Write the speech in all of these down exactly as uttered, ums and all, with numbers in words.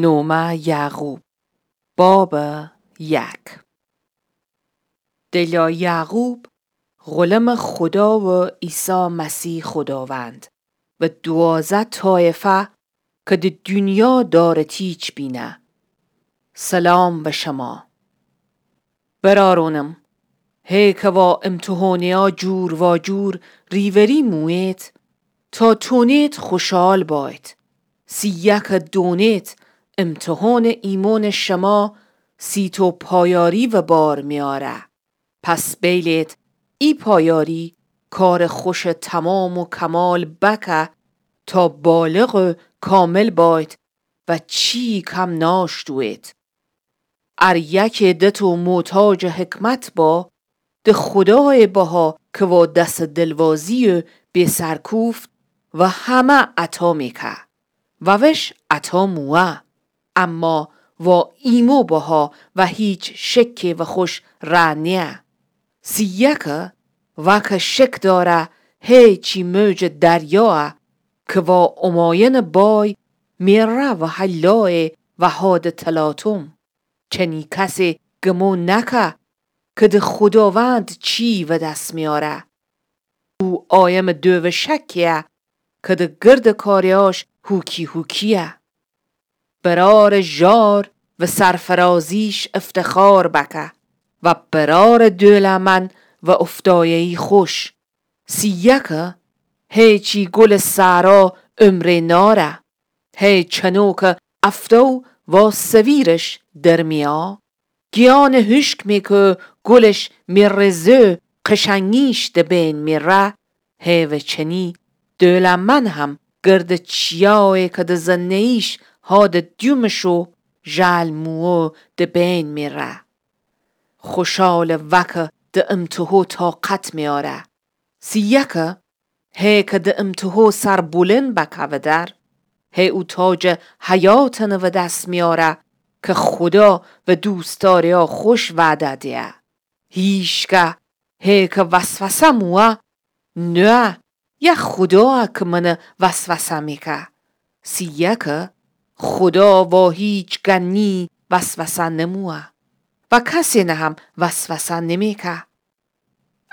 نومه یعقوب، بابٚ یک. دلا یعقوب غلمٚ خودا و عیسی مسیح خوداوند و دوازده طایفه که د دونیا دارتیچ بینه. سلام به شما. برارونم، هی که وا امتحانه‌یا جور واجور ریوری مویید، تا تونید خوشحال باید. سیه که دونید امتحانٚ ایمانٚ شما سیتو پایاری و بار میاره. پس بیلید ای پایاری کارٚ خوشٚ تمام و کمال بکه تا بالغ و کامل باید و چی کم ناشتوید. ار یکه دتو محتاجٚ حکمت با، د خودایٚ بها که وا دس دلوازی و بیسرکوفت و همه عطا میکه و وش عطا موه، اما وا ایمو بها و هیچ شکه و خوش ره نیه. سیه که وا که شک داره هی چی موجٚ دریاه که وا اماینٚ بای میره و هلایه و هادٚ تلاطم. چنی کسی گمو نکه که د خوداوند چی و دس میاره. او آیمٚ دووشکیه که د گردٚ کاریاش هوکی هوکیه. برارٚ ژار و سرفرازیش افتخار بکه و برارٚ دولمن و افتایه‌یی خوش. سیه که هی چی گلٚ صحرا عمره ناره، هی چنو که افتو وا سویرش درمیا، گیانٚ هوشک می که گلش می رزه قشنگیش د بین میره، هی و چنی دولمن هم گردٚ چیایه که د زنه‌ییش هادٚ دومشو ژل موو د بین میره. خوشالٚ وا که د امتحو طاقت میاره. سیه که هی که د امتحو سر بلند بکه و در، هی او تاجٚ حیاتنٚ و دس میاره که خودا و دوستداره‌یا خوش وعده دیه. هیشکه هی که وسوسه موه، نوه یا خودا که منٚ وسوسه میکه. سیه که خودا وا هیچ گنی وسوسه نموه و کسینٚ هم وسوسه نمیکه.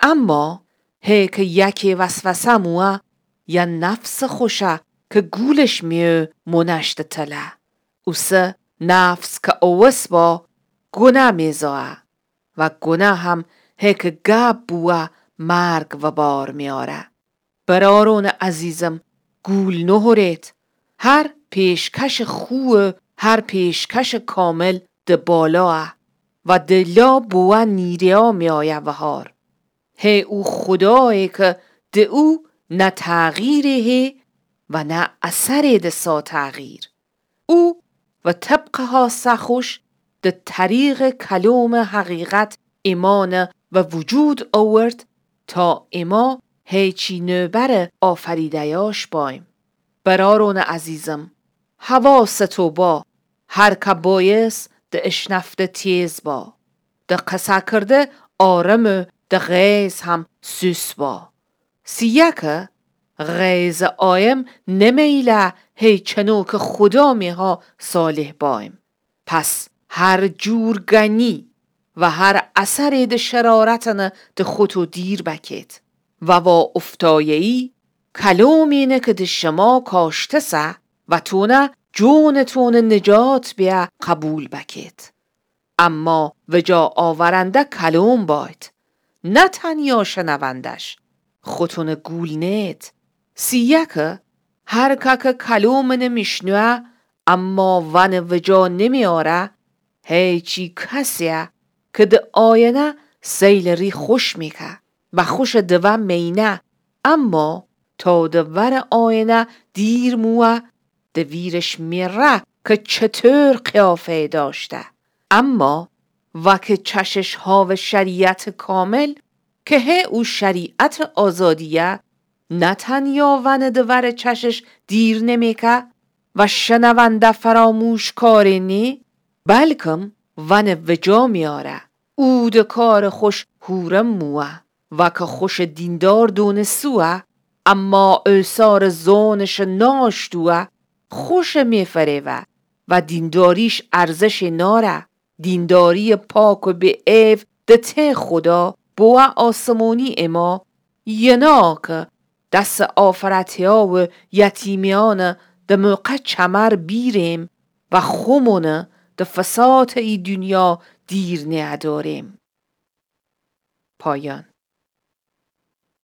اما هی که یکه وسوسه موه، یا نفسٚ خوشه که گولش میو مونشته تله. اوسه نفس که اووس با، گونه میزایه و گونه هم هی که گب بوه مرگ و بار میاره. برارونٚ عزیزم، گول نهورید. هر پیشکشٚ خو و هر پیشکشٚ کامل د بالایه و د لا بوه نیره‌یا میایه وهار. هی او خودایه که د او نه تغییری هی و نه اثری دسا تغییر. او و طبقٚ هاسه خوش د طریقٚ کلومٚ حقیقت ایمانٚ و وجود آورد تا ایما هیچی نوبرٚ آفریده‌یاش بایم. برارونٚ عزیزم، حواستو با، هر که بایس د اشنفته تیز با، د قسه کرده آرم و د غیظ هم سوس با. سیه که غیظٚ آیم نمیله هی چنو که خودا میها صالح بایم. پس هر جور گنی و هر اثری د شرارتنه د خوتو دیر بکید و وا افتایه‌یی کلومینه که د شما کاشتسه و تونه جونتونٚ نجات بیه قبول بکید. اما وجا آورنده کلوم باید، نه تنیا شنوندش. خوتونٚ گول نید. سیه که هر که که کلومنه میشنوه اما ونه وجا نمیاره، هیچی کسیه که د آینه سیلٚ ری خوش میکه و خوشٚ دوه مینه، اما تا د ورٚ آینه دیر موه، د ویرش میره که چطور قیافه‌یی داشته. اما وا که چشش هاوٚ شریعتٚ کامل، که هی او شریعتٚ آزادیه، نه تنیا ونه د ورٚ چشش دیر نمیکه و شنونده فراموشکاری نی، بلکم ونه وجا میاره. او د کارٚ خوش هورم موه. وا که خوشٚ دیندار دونسوه، اما اوسارٚ زونشٚ ناشتوه، خوشٚ میفریوه. و دینداریش ارزشٚ ناره. دینداریٚ پاک و بی‌عیب د ته خودا بوه آسمونی اما، ینا کی دسٚ آفرته‌یا و یتیمیأن د موقع چمر بیریم و خومون د فساتٚ ای دونیا دیر نییه‌داریم. پایان.